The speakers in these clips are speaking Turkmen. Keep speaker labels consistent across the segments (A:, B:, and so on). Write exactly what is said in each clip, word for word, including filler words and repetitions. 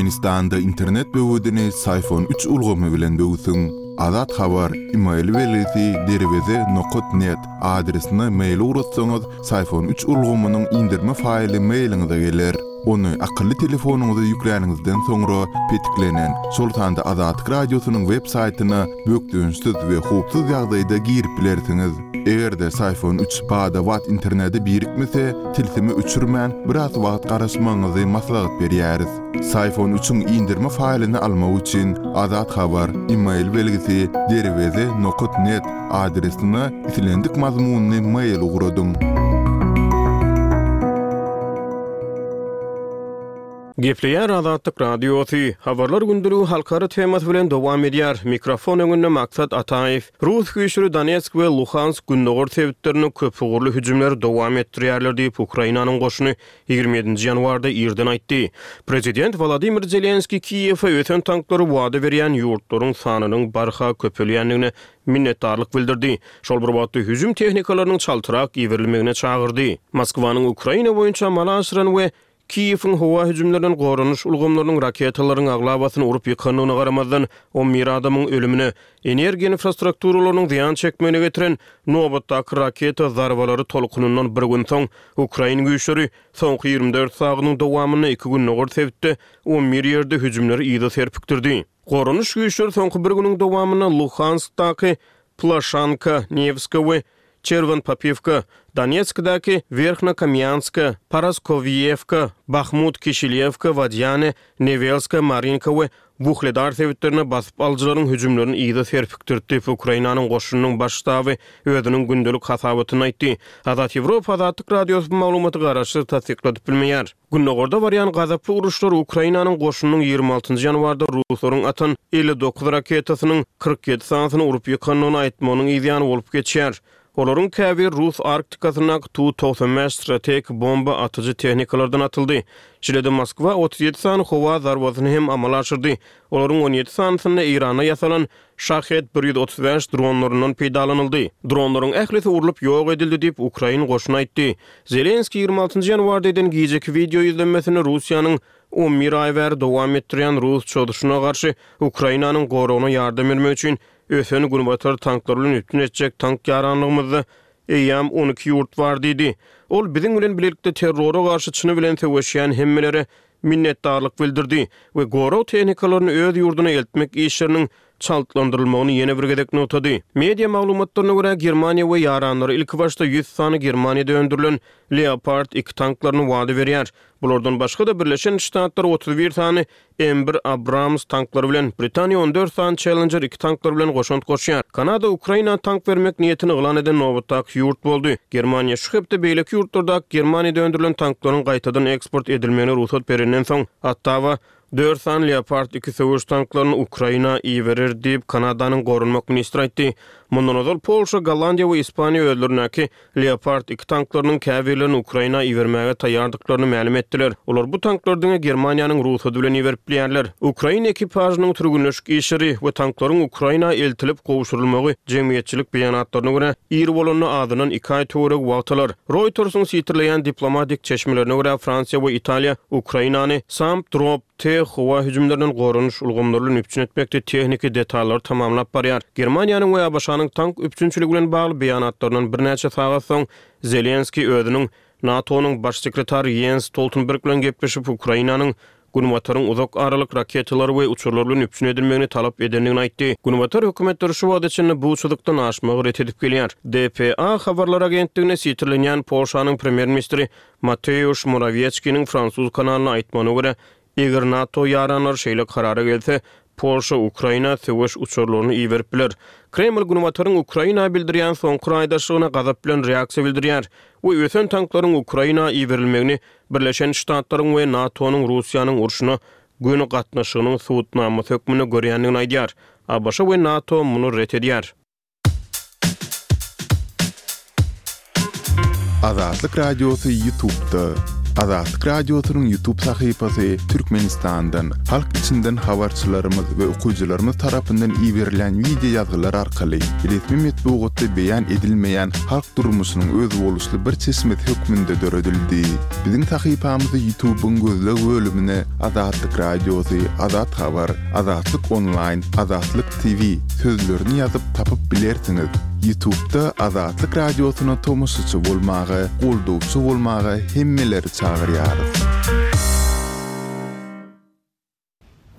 A: Türkmenistanda internet böwedini Syfon üç ulgamy bilen böwsüň. Azat Habar, email belgisi derweze nokat net adresine mail ugratsaňyz, Syfon üç ulgamynyň indirme faýly mailiňize geler. Ony akylly telefonyňyza ýükläniňizden soňra petiklenen, şol sanda Azatlyk Radiosynyň web saýtyna bökdençsiz we howpsuz ýagdaýda girip bilersiňiz. Eger-de Syfon üç bada-bat internete birikmese, tilsimi öçürmän biraz wagt garaşmagyňyzy maslahat berýäris. Syfon üçiň indirme faýlyny almak üçin Azat Habar, email belgisi derweze nokat net adresine islendik mazmunyny mail ugradyň.
B: Gepleýär Azatlyk Radiosy. Habarlar gündeligi halkara temasy bilen dowam edýär. Mikrofon öňünde Maksat Ataýew. Rus güýçleri Donetsk we Luhansk gündogar sebitlerinde köpugurly hüjümleri dowam etdirýärler diýip Ukrainanyň goşuny ýigrimi ýedinji ýanwarda irden aýtdy. Prezident Wladimir Zelenskiý Kiýewe ösen tanklary wada berýän ýurtlaryň sanynyň barha köpelýändigine minnetdarlyk bildirdi. Şol bir wagtda hüjüm tehnikalarynyň çaltrak iberilmegine çagyrdy. Moskwanyň Ukraina boýunça amala aşyran we Kiýewiň howa hüjümlerinden goranyş ulgamlarynyň raketalaryň aglabasyny urup ýykandygyna garamazdan, on bir adamyň ölümine, energiýa infrastrukturalarynyň zyýan çekmegine getiren nobatdaky raketa zarbalary tolkunyndan bir gün soň, Ukrain güýçleri soňky ýigrimi dört sagadyň dowamynda iki gündogar sebitde on bir ýerde hüjümleri yza serpikdirdi. Goranyş güýçleri soňky bir günüň dowamynda Luhanskdaky Plaşanka, Nevska we Çerwen-Popivka, Donetskdäki Werhnokamýanska, Paraskowiýewka, Bahmut, Kişilýewka, Wadýane, Newelska, Marinka we Wuhledar sebitlerine basyp alyjylaryň hüjümlerini yza serpikdirdi diýip, Ukrainanyň goşunynyň baş ştaby özüniň gündelik hasabatynda aýtdy. Azat Ýewropa Azatlyk Radiosy bu maglumaty garaşsyz tassykladyp bilmeýär. Gündogarda barýan gazaply uruşlar Ukrainanyň goşunynyň ýigrimi altynjy ýanwarda ruslaryň atan elli dokuz raketasynyň kyrk ýedi sanysyny urup ýykandygyny aýtmagynyň yzýany bolup geçýär. Olaryň käbir Rus Arktikasyndaky Tu togsan bäş strategik bomba atyjy tehnikalardan atyldy. Şeýle-de Moskwa otuz ýedi sany howa zarbasyny hem amala aşyrdy. Olaryň on ýedi sanysynda Eýranda ýasalan Şahed bir ýüz otuz bäş dronlaryndan peýdalanyldy. Dronlaryň ählisi urlup ýok edildi diýip, ukrain goşuny aýtdy. Zelenskiý ýigrimi altynjy ýanwarda eden gijeki wideo ýüzlenmesinde Russiýanyň on bir aý bäri dowam etdirýän rus çozuşyna garşy Ukrainanyň goragyna ýardam bermek üçin ösen günbatar tanklary bilen üpjün etjek tank ýaranlygymyzda eýýäm on iki ýurt bar diýdi. Ol biziň bilen bilelikde terrora garşy çyny bilen söweşýän hemmelere minnetdarlyk bildirdi we gorag tehnikalaryny öz ýurduna eltmek işleriniň çaltlandyrylmagyny ýene bir gezek nygtady. Media maglumatlaryna görä, Germaniýa we ýaranlary ilkibaşda ýüz sany Germaniýada öndürilen Leopard iki tanklaryny wada berýär. Bulardan başga-da Birleşen Ştatlar otuz bir sany M bir Abrams tanklary bilen, Britaniýa on dört sany Challenger iki tanklary bilen goşant goşýar. Kanada Ukraina tank bermek niýetini yglan eden nobatdaky ýurt boldy. Germaniýa şu hepde beýleki ýurtlardaky Germaniýada öndürilen tanklaryň gaýtadan eksport edilmegine rugsat berenden soň, Ottawa dört sany Leopard iki söweş tanklaryny Ukraina iberer diýip, Kanadanyň goranmak ministri aýtdy. Mundan ozal Polşa, Gollandiýa we Ispaniýa özlerindäki Leopard iki tanklarynyň käbirlerini Ukraina ibermäge taýýardyklaryny mälim etdiler. Olar bu tanklary diňe Germaniýanyň rugsady bilen iberip bilýärler. Ukraina ekipažynyň türgenleşik işleri we tanklaryň Ukraina eltilip gowşurylmagy jemgyýetçilik beýanatlaryna görä, ir bolanda azyndan iki aý töweregi wagt alar. Reutersiň sitirleýän diplomatik çeşmelerine görä, Fransiýa we Italiýa Ukrainany SAMP Drop T howa hüjümlerinden goranyş ulgamlary bilen üpjün etmekde tehniki detallary tamamlap barýar. Germaniýanyň we A B Ş-nyň tank üpjünçiligi bilen bagly beýanatlaryndan birnäçe sagat soň Zelenskiý özüniň NATO-nyň baş sekretary Jens Stoltenberg bilen gepleşip, Ukrainanyň Günbataryň uzak aralyk raketalary we uçarlar bilen üpjün edilmegini talap edendigini aýtdy. Günbatar hökümetleri şu wagta çenli bu çyzykdan aşmagy ret edip gelýär. D P A habarlar agentligine sitirlenýän Polşanyň premýer-ministri Mateusz Morawieckiniň fransuz kanalyna aýtmagyna görä, eger NATO ýaranlary şeýle karara gelse, Polşa Ukraina söweş uçarlaryny iberip biler. Kreml Günbataryň Ukraina bildirýän soňky raýdaşlygyna gazap bilen reaksiýa bildirýär we ösen tanklaryň Ukraina iberilmegini Birleşen Ştatlaryň we NATO-nyň Russiýanyň urşuna göni gatnaşygynyň subutnamasy hökmünde görýändigini aýdýar. A B Ş we NATO muny ret edýär.
A: Azatlyk Radiosy YouTube'da. Azatlyk Radiosynyň YouTube sahypasy Türkmenistandan, halk içinden habarçylarymyz we okyjylarymyz tarapyndan iberilen wideo ýazgylar arkaly resmi metbugatda beýan edilmeýän halk durmuşynyň özboluşly bir çeşmesi hökmünde döredildi. Biziň sahypamyzy YouTube'yň gözleg bölümine Azatlyk Radiosy, Azat Habar, Azatlyk Online, Azatlyk T V sözlerini ýazyp tapyp bilersiňiz. YouTube'da Azatlyk Radiosyna tomaşaçy bolmaga, goldawçy bolmaga hemmeleri çagyrýarys.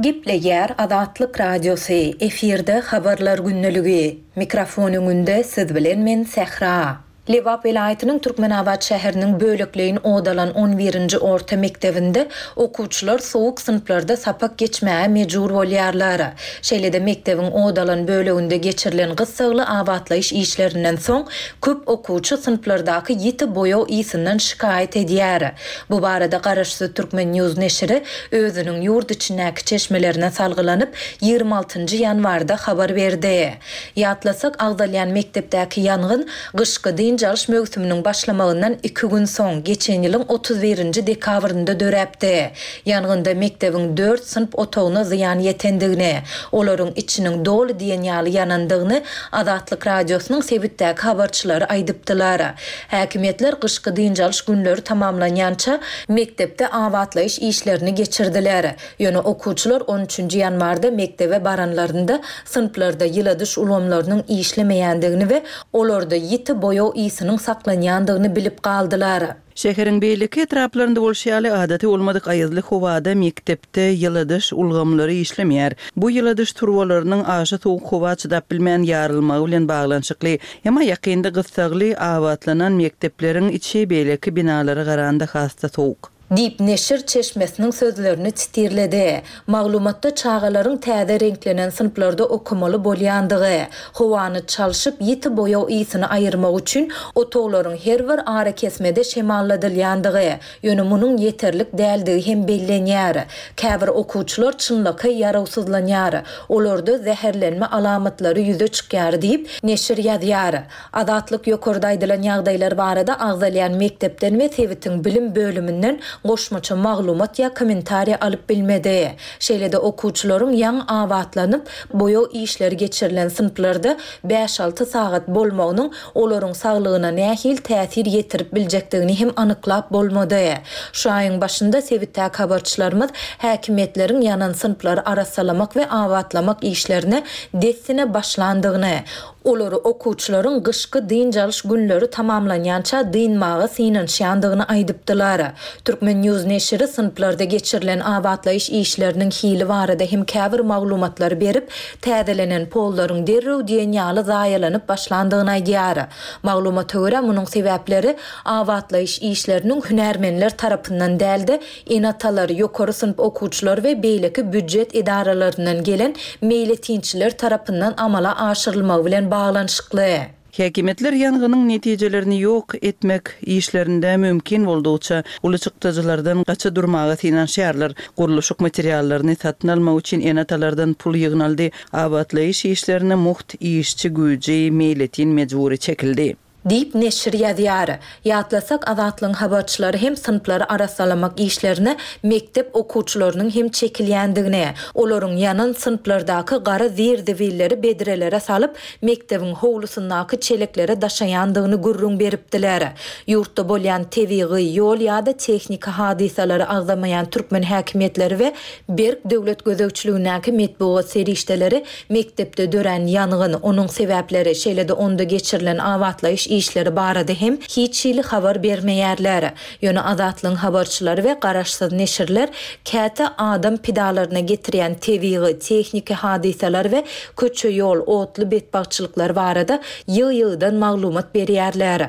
C: Gepleýär Azatlyk Radiosy, efirde habarlar gündeligi. Mikrofon öňünde siz bilen men Sähra. Lebap welaýatynyň Türkmenabat şäheriniň bölekleýin odalan on birinji orta mekdebinde okuwçylar soğuk synplarda sapak geçmäge mejbur bolýarlar. Şeýle-de mekdebiň odalan böleginde geçirilen gyssagly abatlaýyş işlerinden soň köp okuwçy synplardaky ýiti boýaw ýygynyň şikaýat edýär. Bu barada Garaşsyz Türkmen News neşiri özüniň ýurt içindäki çeşmelerine salgylanyp ýigrimi altynjy ýanwarda habar berdi. Ýatlasak, agzalýan mekdepdäki ýangyn gyşky dynç alyş möwsüminiň başlamagyndan iki gün soň geçen ýylyň otuz birinji dekabrynda döräpdi. Ýangynda mekdebiň dört synp otagyna zyýan ýetendigini, olaryň içiniň doly diýen ýaly ýanandygyny Azatlyk Radiosynyň sebitdäki habarçylary aýdypdylar. Häkimiýetler gyşky dynç alyş günleri tamamlanýança mekdepde abatlaýyş işlerini geçirdiler. Ýöne okuwçylar on üçünji ýanwarda mekdebe baranlarynda synplarda ýyladyş ulgamlarynyň işlemeýändigini we olarda ýiti boýaw ýygynyň saklanýandygyny bilip galdylar.
D: Şäheriň beýleki etraplarynda bolşy ýaly adaty bolmadyk aýazly howada mekdepde ýyladyş ulgamlary işlemeýär. Bu ýyladyş turbalarynyň aşa soğuk howa çydap bilmän ýarylmagy bilen baglanyşykly. Emma ýakynda gyssagly abatlanan mekdepleriň içi beýleki binalara garanda has-da soğuk.
C: Diýip neşir çeşmesiniň sözlerini titirledi. Maglumatda çagalaryň täze reňklenen synplarda okamaly bolýandygy, howany çalşyp ýiti boýaw ýygyny aýyrmak üçin otaglaryň her bir ara kesmede şemalladylýandygy, ýöne munuň ýeterlik däldigi hem bellenýär. Käbir okuwçylar çynlakaý ýarawsyzlanýar. Olarda zäherlenme alamatlary ýüze çykýar diýip neşir ýazýar. Azatlyk ýokarda aýdylan ýagdaýlar barada agzalýan mekdepden we sebitiň bilim bölüminden goşmaça maglumat ýa kommentariýa alyp bilmedi. Şeýle-de okuwçylaryň ýaň abatlanyp, boýaw işleri geçirilen synplarda bäş alty sagat bolmagynyň olaryň saglygyna nähili täsir ýetirip biljekdigini hem anyklap bolmady. Şu aýyň başynda sebitdäki habarçylarymyz häkimiýetleriň ýanan synplary arassalamak we abatlamak işlerine dessine başlandygyny, olary okuwçylaryň gyşky dynç alyş günleri tamamlanýança dynmaga synanyşýandygyny aýdypdylar. Türkmen News neşiri synplarda geçirilen abatlaýyş işleriniň hili barada hem käbir maglumatlary berip, täzelenen pollaryň derrew diýen ýaly zaýalanyp başlandygyny aýdýar. Maglumata görä munuň sebäpleri abatlaýyş işleriniň hünärmenler tarapyndan dälde, ene-atalar, ýokary synp okuwçylary we beýleki býujet edaralaryndan gelen meýletinçiler tarapyndan amala aşyrylmagy bilen baglanyşykly.
D: Häkimiýetler ýangynyň netijelerini ýok etmek işlerinde mümkin boldugyça uly çykdajylardan gaça durmaga synanyşýarlar. Gurluşyk materiallaryny satyn almak üçin ene-atalardan pul ýygnaldy. Abatlaýyş işlerine mugt işçi güýji meýletin mejbury çekildi.
C: Diýip neşir ýazýar. Ýatlasak, Azatlygyň habarçylary hem synplary arassalamak işlerine mekdep okuwçylarynyň hem çekilýändigini, olaryň ýanan synplardaky gara zir-zibilleri bedrelere salyp, mekdebiň howlusyndaky çeleklere daşaýandygyny gürrüň beripdiler. Ýurtda bolýan tebigy, ýol ýa-da tehniki hadysalary agzamaýan türkmen häkimiýetleri we berk döwlet gözegçiligindäki metbugat serişdeleri mekdepde dörän ýangyn, onuň sebäpleri, şeýle-de onda geçirilen abatlaýyş işleri barada hem hiç hili habar bermeýärler. Ýöne Azatlygyň habarçylary we garaşsyz neşirler käte adam pidalaryna getirýän tebigy, tehniki hadysalar we köçe ýol, otly betbagtçylyklar barada ýygy-ýygydan maglumat berýärler.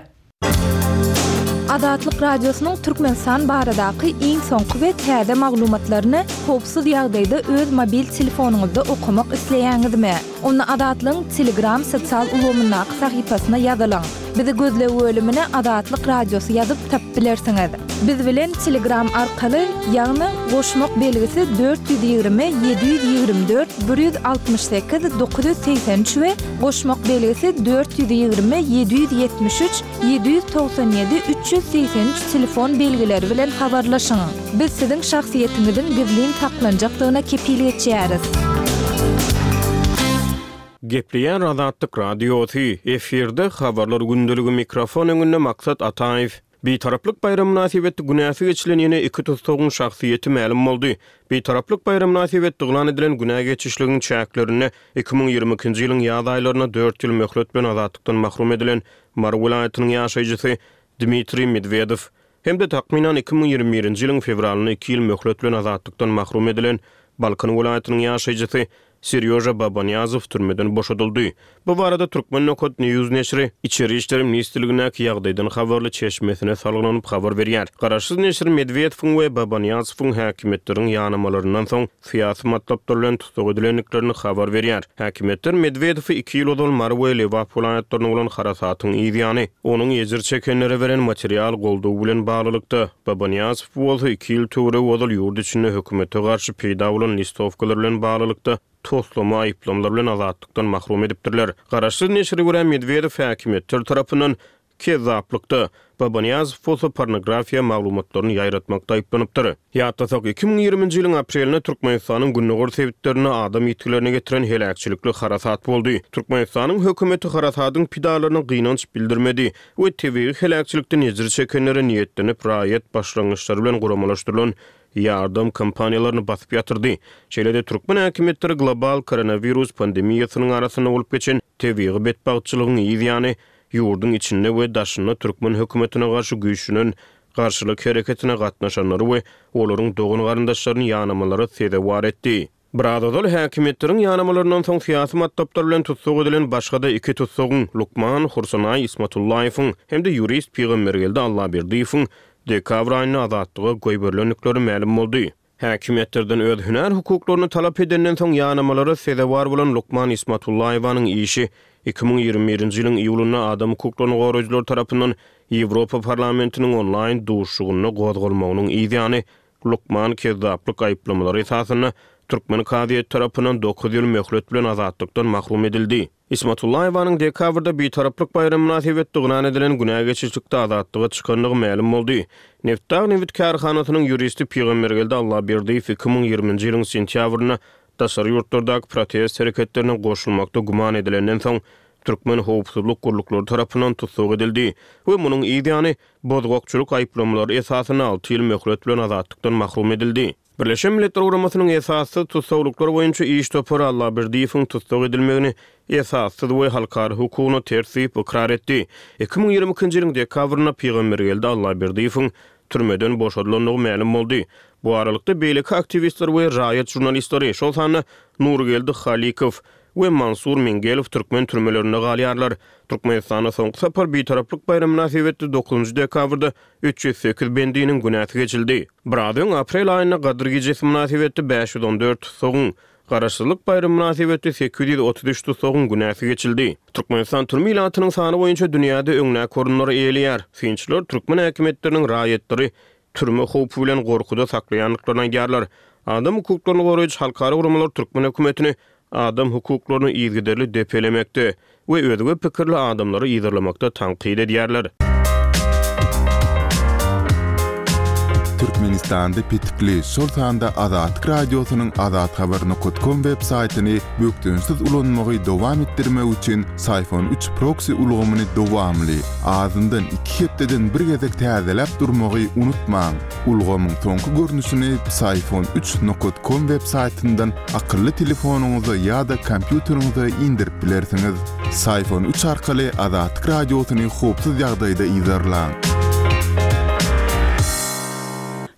E: Azatlyk Radiosynyň Türkmenistan baradaky iň soňky we täze maglumatlaryny howpsuz ýagdaýda öz mobil telefonyňyzda okamak isleýäňizmi? Onda Azatlygyň Telegram sosial ulgamyndaky sahypasyna ýazylyň. Bizi gözleg bölümine Azatlyk Radiosy ýazyp tapyp bilersiňiz. Biz bilen Telegram arkaly, ýagny goşmak belgisi dört ýüz ýigrimi ýedi ýüz ýigrimi dört bir ýüz altmyş sekiz dokuz ýüz segsen üç we goşmak belgisi dört ýüz ýigrimi ýedi ýüz ýetmiş üç ýedi ýüz togsan ýedi üç ýüz segsen üç telefon belgileri bilen habarlaşyň. Biz siziň şahsyýetiňiziň gizlin saklanjakdygyna kepil geçýäris.
B: Gepleýär Azatlyk Radiosy, efirde Habarlar gündeligi mikrofon öňünde Maksat Ataýew. Bitaraplyk baýramy mynasybetli günäsi geçilen ýene iki tussagyň şahsyýeti mälim boldy. Bitaraplyk baýramy mynasybetli yglan edilen günä geçişligiň çäklerinde iki müň ýigrimi ikinji ýylyň ýaz aýlarynda dört ýyl möhlet bilen azatlykdan mahrum edilen Mary welaýatynyň ýaşaýjysy Dmitriý Medwedew hem-de takmynan iki müň ýigrimi birinji ýylyň fewralynda iki ýyl möhlet bilen azatlykdan mahrum edilen Balkan welaýatynyň ýaşaýjysy Serýoža Babanyýazow türmeden boşadyldy. Bu barada Turkmen nokat News neşiri Içeri işler ministrligindäki ýagdaýdan habarly çeşmesine salgylanyp habar berýär. Garaşsyz neşir Medwedewiň we Babanyýazowyň häkimiýetleriň ýanamalaryndan soň syýasy matlaplar bilen tussag edilendiklerini habar berýär. Häkimiýetler Medwedewi iki ýyl ozal Mary we Lebap welaýatlarynda bolan harasatyň yz ýany, onuň ejir çekenlere beren material goldawy bilen baglylykda, Babanyýazow bolsa iki ýyl töweregi ozal ýurt içinde hökümete garşy peýda bolan listowkalar bilen baglylykda toslama aýyplamalar bilen azatlykdan mahrum edipdirler. Garaşsyz neşire görä Medwedew häkimiýetler tarapyndan kezzaplykda, Babanyýazow bolsa pornografiýa maglumatlaryny ýaýratmakda aýyplanypdyr. Ýatlasak, iki müň ýigriminji ýylyň aprelinde Türkmenistanyň gündogar sebitlerinde adam ýitgilerine getiren heläkçilikli harasat boldy. Türkmenistanyň hökümeti harasadyň pidalaryna gynanç bildirmedi we tebigy heläkçilikden ejir çekenlere niýetlenip raýat başlangyçlary bilen guramalaşdyrylan ýardam kampaniýalaryny basyp ýatyrdy. Şeýle-de türkmen häkimiýetleri global koronawirus pandemiýasynyň arasynda bolup geçen tebigy betbagtçylygyň yz ýany ýurduň içinde we daşynda türkmen hökümetine garşy güýçlenen garşylyk hereketine gatnaşanlary we olaryň dogan-garyndaşlaryny ýanamalara sezewar etdi. Biraz ozal häkimiýetleriň ýanamalaryndan soň syýasy matlaplar bilen tussag edilen başga-da iki tussagyň, lukman Hursanaý Ismatullaýewiň hem-de ýurist Pygambergeldi Allaberdiýewiň dekabr aýynda azatlyga goýberilendikleri mälim boldy. Häkimiýetlerden öz hünär hukuklaryny talap edenden soň ýanamalara sezewar bolan lukman Ismatullaýewanyň işi iki müň ýigrimi birinji ýylyň iýulynda adam hukuklaryny goraýjylar tarapyndan Ýewropa parlamentiniň onlaýn duşuşygynda gozgalmagynyň yz ýany lukman kezzaplyk aýyplamalary esasynda türkmen kazyýeti tarapyndan dokuz ýyl möhlet bilen azatlykdan mahrum edildi. Ismatullaýewanyň dekabrda Bitaraplyk baýramy mynasybetli yglan edilen günä geçişlikde azatlyga çykandygy mälim boldy. Nebitdag nebit kärhanasynyň ýuristi Pygambergeldi Allaberdiýew iki müň ýigriminji ýylyň sentýabrynda daşary ýurtlardaky protest hereketlerine goşulmakda güman edilenden soň türkmen howpsuzlyk gulluklary tarapyndan tussag edildi we munuň yz ýany bozgakçylyk aýyplamalary esasynda alty ýyl möhlet bilen azatlykdan mahrum edildi. Birleşen Milletler Guramasynyň esassyz tussaglyklar boýunça iş topary Allaberdiýewiň tussag edilmegini esassyz we halkara hukugyna ters diýip ykrar etdi. Iki müň ýigrimi ikinji ýylyň dekabrynda Pygambergeldi Allaberdiýewiň türmeden boşadylandygy mälim boldy. Bu aralykda beýleki aktiwistler we raýat žurnalistleri, şol sanda Nurgeldi Halykow we Mansur Mingelow türkmen türmelerinde galýarlar. Türkmenistanda soňky sapar Bitaraplyk baýramy mynasybetli dokuzynjy dekabrda üç ýüz sekiz bendiniň günäsi geçildi. Biraz öň aprel aýynda Gadyr gijesi mynasybetli bäş ýüz on dört tussagyň, Garaşsyzlyk baýramy mynasybetli sekiz ýüz otuz üç tussagyň günäsi geçildi. Türkmenistan türme ilatynyň sany boýunça dünýäde öňdäki orunlary eýeleýär. Synçylar türkmen häkimiýetleriniň raýatlary türme howpy bilen gorkuda saklaýandyklaryny aýdýarlar. Adam hukuklaryny goraýjy halkara guramalar türkmen hökümetini adam hukuklaryny yzygiderli depelemekde we özge pikirli adamlary yzarlamakda tankyt edýärler.
A: Türkmenistanda petikli, şol sanda Azatlyk Radiosynyň azathabar nokta com web saýtyny bökdençsiz ulanmagy dowam etdirmek üçin Syfon üç proksi ulgamyny dowamly, azyndan iki hepdeden bir gezek täzeläp durmagy unutmaň. Ulgamyň soňky görnüşini Syfon üç nokta com web saýtyndan akylly telefonyňyza ýa-da kompýuteriňize indirip bilersiňiz. Syfon üç arkaly Azatlyk Radiosyny howpsuz ýagdaýda yzarlaň.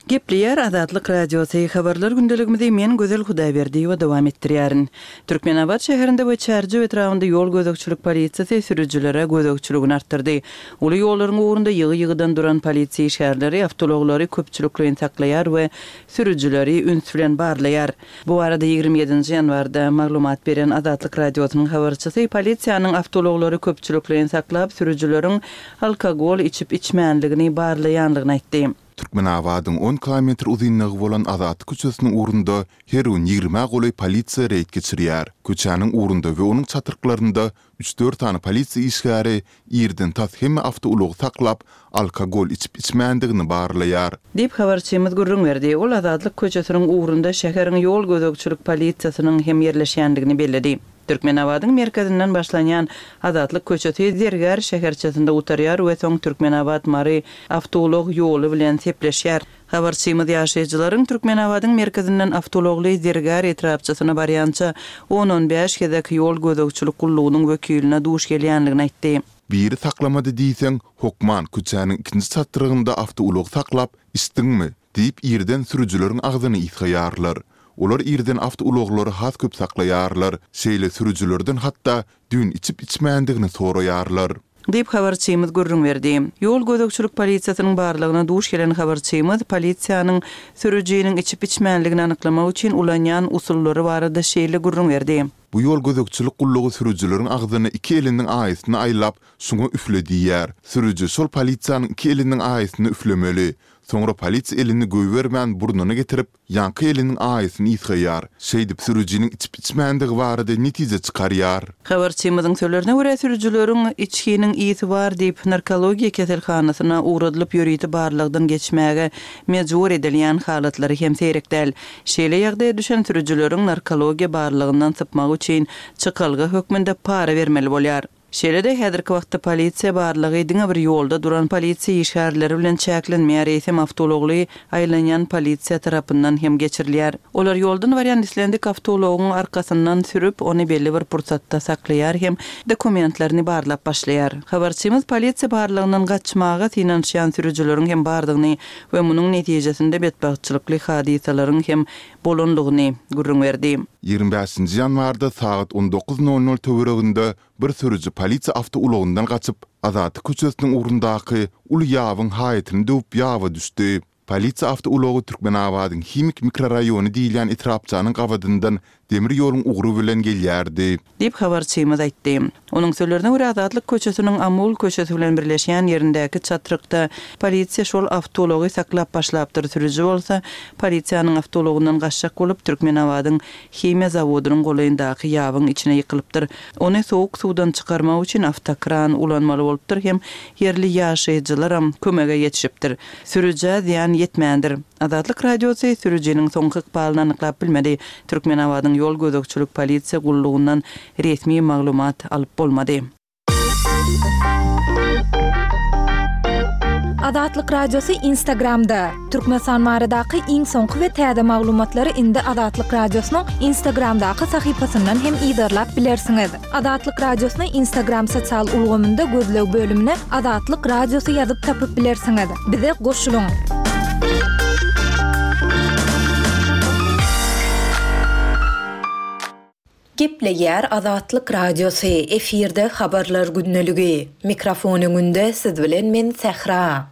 D: Gepleýär Azatlyk Radiosy, Habarlar gündeligimizi men Gözel Hudaýberdiýewa dowam etdirýärin. Türkmenabat şäherinde we Çärjew etrabynda ýol gözegçilik polisiýasy sürüjilere gözegçiligini artdyrdy. Uly ýollaryň ugrunda ýygy-ýygydan duran polisiýa işgärleri awtoulaglary köpçülikleýin saklaýar we sürüjileri üns bilen barlaýar. Bu barada ýigrimi ýedinji ýanwarda maglumat beren Azatlyk Radiosynyň habarçysy polisiýanyň awtoulaglary köpçülikleýin saklap, sürüjileriň alkogol içip-içmänligini barlaýanlygyny aýtdy.
A: Türkmenabadyň on kilometr uzynlygy bolan Azatlyk köçesiniň ugrunda her gün ýigrimä golaý polisiýa reýd geçirýär. Köçäniň ugrunda we onuň çatryklarynda üç-dört sany polisiýa işgäri irden tas hemme awtoulagy saklap, alkogol içip-içmändigini barlaýar.
D: Diýip, habarçymyz gürrüň berdi. Ol Azatlyk köçesiniň ugrunda şäheriň ýol gözegçilik polisiýasynyň hem ýerleşýändigini belledi. Türkmenabadyň merkezinden başlanýan Azatlyk köçesi Zergär şäherçesinde gutarýar we soň Türkmenabat-Mary awtoulag ýoly bilen sepleşýär. Habarçymyz ýaşaýjylaryň Türkmenabadyň merkezinden awtoulagly Zergär etrapçasyna barýança on-on bäş gezek ýol gözegçilik gullugynyň wekiline duş gelýändigini aýtdy.
A: Biri saklamady diýseň, hokman köçäniň ikinji çatrygynda awtoulag saklap, içdiňmi? diýip irden sürüjileriň agzyny ysgaýarlar. Olar irden awtoulaglary has köp saklaýarlar, şeýle sürüjilerden hatda düýn içip-içmändigini soraýarlar.
D: Diýip, habarçymyz gürrüň berdi. Ýol gözegçilik polisiýasynyň barlagyna duş gelen habarçymyz polisiýanyň sürüjiniň içip-içmänligini anyklamak üçin ulanýan usullary barada şeýle gürrüň berdi.
A: Bu ýol gözegçilik gullugy sürüjileriň agzyna iki eliniň aýasyny aýlap, şuňa üfle diýýär. Sürüji şol polisiýanyň iki eliniň aýasyny üflemeli. Soňra polisiýa elini goýbermän burnuna getirip, ýaňky eliniň aýasyny ysgaýar. Şeýdip sürüjiniň içip-içmändigi barada netije çykarýar.
D: Habarçymyzyň sözlerine görä, sürüjileriň içginiň ysy bar diýip, narkologiýa keselhanasyna ugradylyp ýörite barlagdan geçmäge mejbur edilýän halatlary hem seýrek däl. Şeýle ýagdaýa düşen sürüjileriň narkologiýa barlagyndan sypmagy üçin çykalga hökmünde para bermeli bolýar. Şeýle-de, häzirki wagtda polisiýa barlagy diňe bir ýolda duran polisiýa işgärleri bilen çäklenmeýär, eýsem awtoulagly aýlanýan polisiýa tarapyndan hem geçirilýär. Olar ýoldan barýan islendik awtoulagyň arkasyndan sürüp, ony belli bir pursatda saklaýar hem dokumentlerini barlap başlaýar. Habarçymyz polisiýa barlagyndan gaçmaga synanyşýan sürüjileriň hem bardygyny we munuň netijesinde betbagtçylykly hadysalaryň hem bolanlygyny gürrüň berdi.
A: Ýigrimi bäşinji ýanwarda sagat on dokuz nol nol töwereginde bir sürüji polisiýa awtoulagyndan gaçyp, Azatlyk köçesiniň ugrundaky uly ýabyň haýatyny döwüp ýaba düşdi. Polisiýa awtoulagy Türkmenabadyň Himik mikroraýony diýilýän etrapçanyň gabadyndan demir ýoluň ugry bilen gelýärdi.
D: Diýip, habarçymyz aýtdy. Onuň sözlerine görä, Azatlyk köçesiniň Amul köçesi bilen birleşýän ýerindäki çatrykda polisiýa şol awtoulagy saklap başlapdyr, sürüji bolsa polisiýanyň awtoulagyndan gaçjak bolup, Türkmenabadyň himiýa zawodynyň golaýyndaky ýabyň içine ýykylypdyr. Ony sowuk suwdan çykarmak üçin awtokran ulanmaly bolupdyr hem ýerli ýaşaýjylaram kömege ýetişipdir. Sürüjä zyýan ýetmändir. Azatlyk Radiosy sürüjiniň soňky ykbalyny anyklap bilmedi. Türkmenabadyň ýol gözegçilik polisiýa gullugyndan resmi maglumat alyp bolmady.
E: Azatlyk Radiosy Instagramda. Türkmenistan baradaky iň soňky we täze maglumatlary indi Azatlyk Radiosynyň Instagramdaky sahypasyndan hem yzarlap bilersiňiz. Azatlyk Radiosyny Instagram sosial ulgamynda gözleg bölümine Azatlyk Radiosy ýazyp tapyp bilersiňiz. Bize goşulyň. Gepleýär Azatlyk Radiosy, efirde habarlar gündeligi. Mikrofon öňünde siz bilen men Sähra.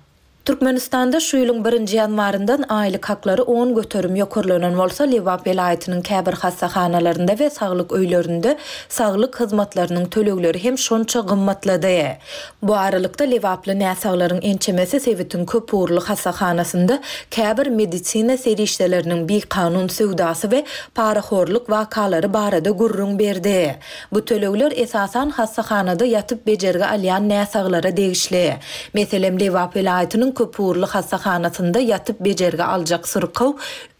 E: Türkmenistanda şu ýylyň birinji ýanwaryndan aýlyk haklary on göterim ýokarlanan bolsa, Lebap welaýatynyň käbir hassahanalarynda we saglyk öýlerinde saglyk hyzmatlarynyň tölegleri hem şonça gymmatlady. Bu aralykda Lebaply näsaglaryň ençemesi sebitiň köp ugurly hassahanasynda käbir medisina serişdeleriniň bikanun söwdasy we parahorluk wakalary barada gürrüň berdi. Bu tölegler esasan hassahanada ýatyp bejergi alýan näsaglara degişli. Meselem, Lebap welaýatynyň köp ugurly hassahanasynda ýatyp bejergi aljak syrkaw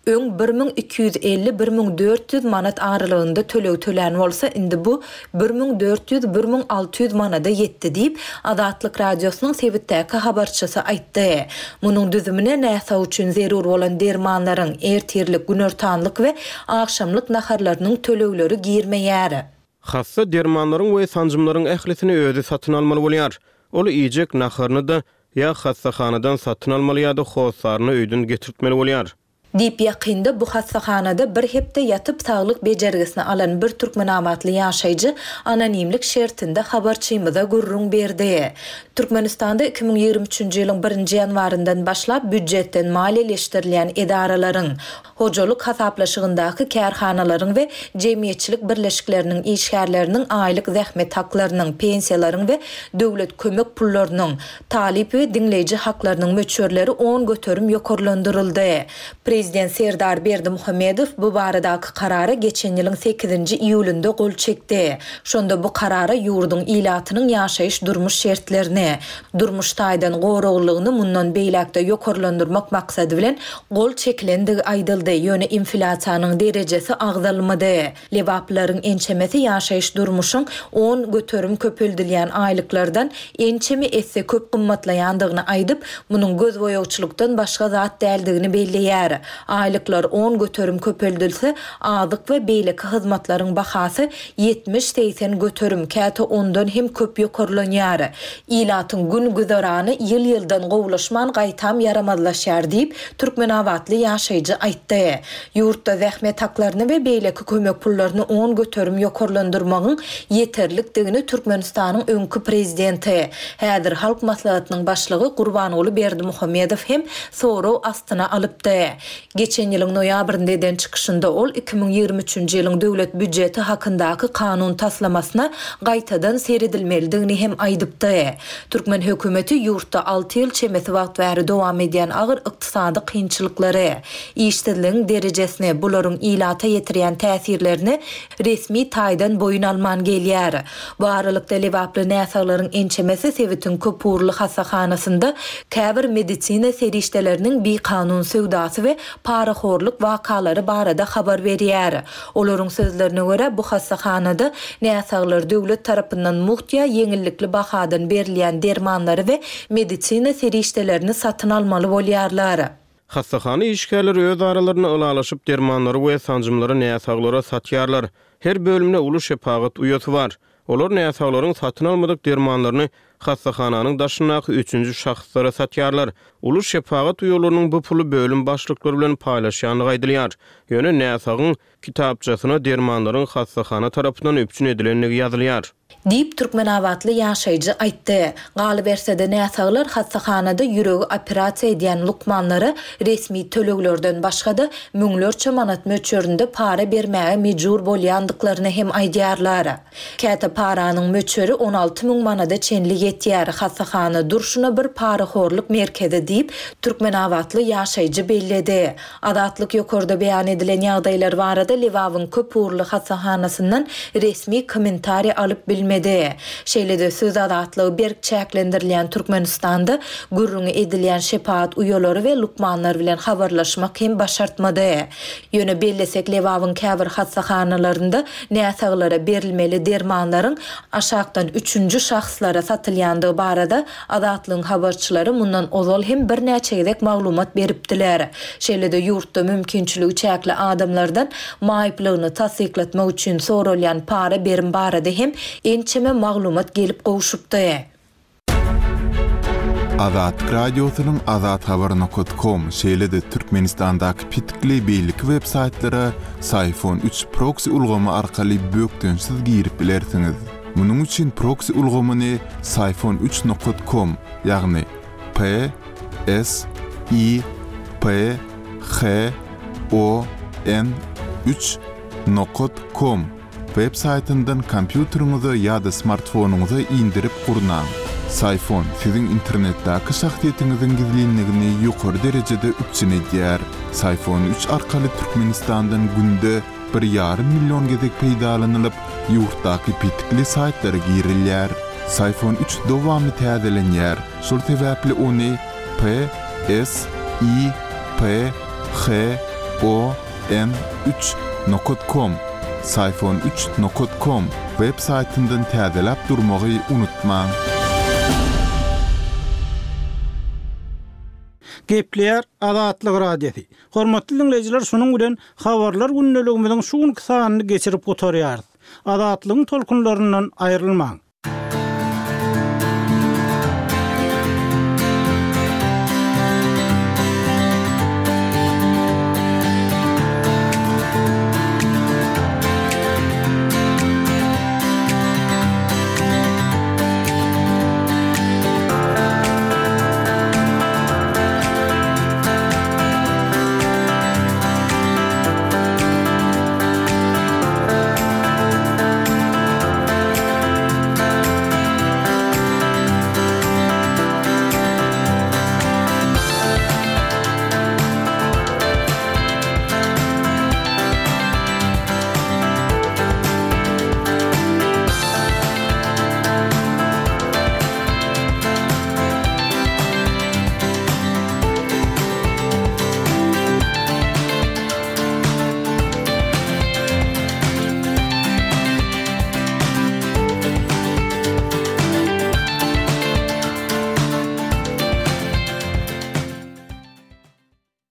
E: öň bir müň iki ýüz elli bir müň dört ýüz manat aralygynda töleg tölän bolsa, indi bu bir müň dört ýüz bir müň alty ýüz manada ýetdi diýip, Azatlyk Radiosynyň sebitdäki habarçysy aýtdy. Munuň düzümine näsag üçin zerur bolan dermanlaryň, ertirlik, günortanlyk we agşamlyk naharlarynyň tölegleri girmeýär.
B: Hassa dermanlaryň we sanjymlaryň ählisini özi satyn almaly bolýar. Ol iýjek naharyny da Ýa hassahanadan satyn almaly ýa-da hossaryna öýden getirtmeli bolýar.
C: Diýip, ýakynda bu hassahanada bir hepde ýatyp saglyk bejergisini alan bir türkmenabatly ýaşaýjy anonimlik şertinde habarçymyza gürrüň berdi. Türkmenistanda iki müň ýigrimi üçünji ýylyň birinji ýanwaryndan başlap býujetden maliýeleşdirilýän edaralaryň, hojalyk hasaplaşygyndaky kärhanalaryň we jemgyýetçilik birleşikleriniň işgärleriniň aýlyk zähmet haklarynyň, pensiýalaryň we döwlet kömek pullarynyň, talyp we diňleýji haklarynyň möçberleri on göterim ýokarlandyryldy. Prezident Serdar Berdimuhamedow bu baradaky Karara geçen ýylyň sekizinji iýulynda gol çekdi. Şonda bu Karara ýurduň ilatynyň ýaşaýyş-durmuş şertlerini, durmuş taýdan goraglylygyny mundan beýläk-de ýokarlandyrmak maksady bilen gol çekilendigi aýdyldy, ýöne inflýasiýanyň derejesi agzalmady. Lebaplylaryň ençemesi ýaşaýyş-durmuşyň on göterim köpeldilýän aýlyklardan ençeme esse köp gymmatlaýandygyny aýdyp, munuň gözboýagçylykdan başga zat däldigini belleýär. Aýlyklar on göterim köpeldilse, azyk we beýleki hyzmatlaryň bahasy ýetmiş-segsen göterim, käte ondan hem köp ýokarlanýar. Ilatyň gün-güzerany ýyl-ýyldan gowulaşman, gaýtam ýaramazlaşýar diýip, türkmenabatly ýaşaýjy aýtdy. Ýurtda zähmet haklaryny we beýleki kömek pullaryny on göterim ýokarlandyrmagyň ýeterlikdigini Türkmenistanyň öňki prezidenti, häzir Halk Maslahatynyň başlygy Gurbanguly Berdimuhamedow hem sorag astyna alypdy. Geçen ýylyň noýabrynda eden çykyşynda ol iki müň ýigrimi üçünji ýylyň döwlet býujeti hakyndaky kanun taslamasyna gaýtadan seredilmelidigini hem aýdypdy. Türkmen hökümeti ýurtda alty ýyl çemesi wagt bäri dowam edýän agyr ykdysady kynçylyklary, işsizligiň derejesini, bularyň ilata ýetirýän täsirlerini resmi taýdan boýun alman gelýär. Bu aralykda lebaply näsaglaryň ençemesi sebitiň köpugurly hassahanasynda käbir medisina serişdeleriniň bikanun söwdasy we parahorluk wakalary barada habar berýär. Olaryň sözlerine görä, bu hassahanada näsaglar döwlet tarapyndan mugt ýa ýeňillikli bahadan berilýän dermanlary we medisina serişdelerini satyn almaly bolýarlar.
B: Hassahana işgärleri öz aralarynda ylalaşyp dermanlary we sanjymlary näsaglara satýarlar. Her bölümde uly şepagat uýasy bar. Olar näsaglaryň satyn almadyk dermanlaryny hassahananyň daşyndaky üçünji şahslara satýarlar. Uly şepagat uýalarynyň bu puly bölüm başlyklary bilen paýlaşýandygy aýdylýar. Ýöne näsagyň kitapçasyna dermanlaryň hassahana tarapyndan üpjün edilendigi ýazylýar.
C: Diýip, türkmenabatly ýaşaýjy aýtdy. Galyberse-de, näsaglar hassahanada ýüregi operasiýa edýän lukmanlara resmi töleglerden başga-da müňlerçe manat möçberinde para bermäge mejbur bolýandyklaryny hem aýdýarlar. Käte paranyň möçberi on alty müň manada çenli ýetýär, hassahana durşuna bir parahorluk merkezi diýip, türkmenabatly ýaşaýjy belledi. Azatlyk ýokarda beýan edilen ýagdaýlar barada Lebabyň köpugurly hassahanasyndan resmi kommentariý alyp bilmedi. Şeýle-de söz azatlygy berk çäklendirilýän Türkmenistanda gürrüňi edilýän şepagat uýalary we lukmanlar bilen habarlaşmak hem başartmady. Ýöne bellesek, Lebabyň käbir hassahanalarynda näsaglara berilmeli dermanlaryň aşakdan üçünji şahslara satylýandygy barada Azatlygyň habarçylary mundan ozal hem birnäçe gezek maglumat beripdiler. Şeýle-de ýurtda mümkinçiligi çäkli adamlardan maýyplygyny tassyklatmak üçin soralýan para berim barada hem ençeme maglumat gelip gowşupdy.
A: Azatlyk Radiosynyň azathabar nokat kom, şeýle-de Türkmenistandaky petikli beýleki web saýtlara Syfon üç proksi ulgamy arkaly bökdençsiz girip bilersiňiz. Munuň üçin proksi ulgamyny Syfon üç nokat kom, ýagny P S I P H O N üç nokat kom web saýtyndan kompýuteriňize ýa-da smartfonyňyza indirip gurnaň. Syfon siziň internetdäki şahsyýetiňiziň gizlinligini ýokary derejede üpjün edýär. Syfon üç arkaly Türkmenistandan günde bir ýarym million gezek peýdalanylyp, ýurtdaky petikli saýtlara girilýär. Syfon üç dowamly täzelenýär. Şol sebäpli ony P S I P H O N üç nokat kom, Syfon üç nokat kom web saýtyndan täzeläp durmagy unutmaň.
F: Gepleýär Azatlyk Radiosy. Hormatly dinleýjiler, şunuň bilen habarlar gündeligimiziň şu günki sanyny geçirip gutarýarys. Azatlygyň tolkunlaryndan aýrylmaň.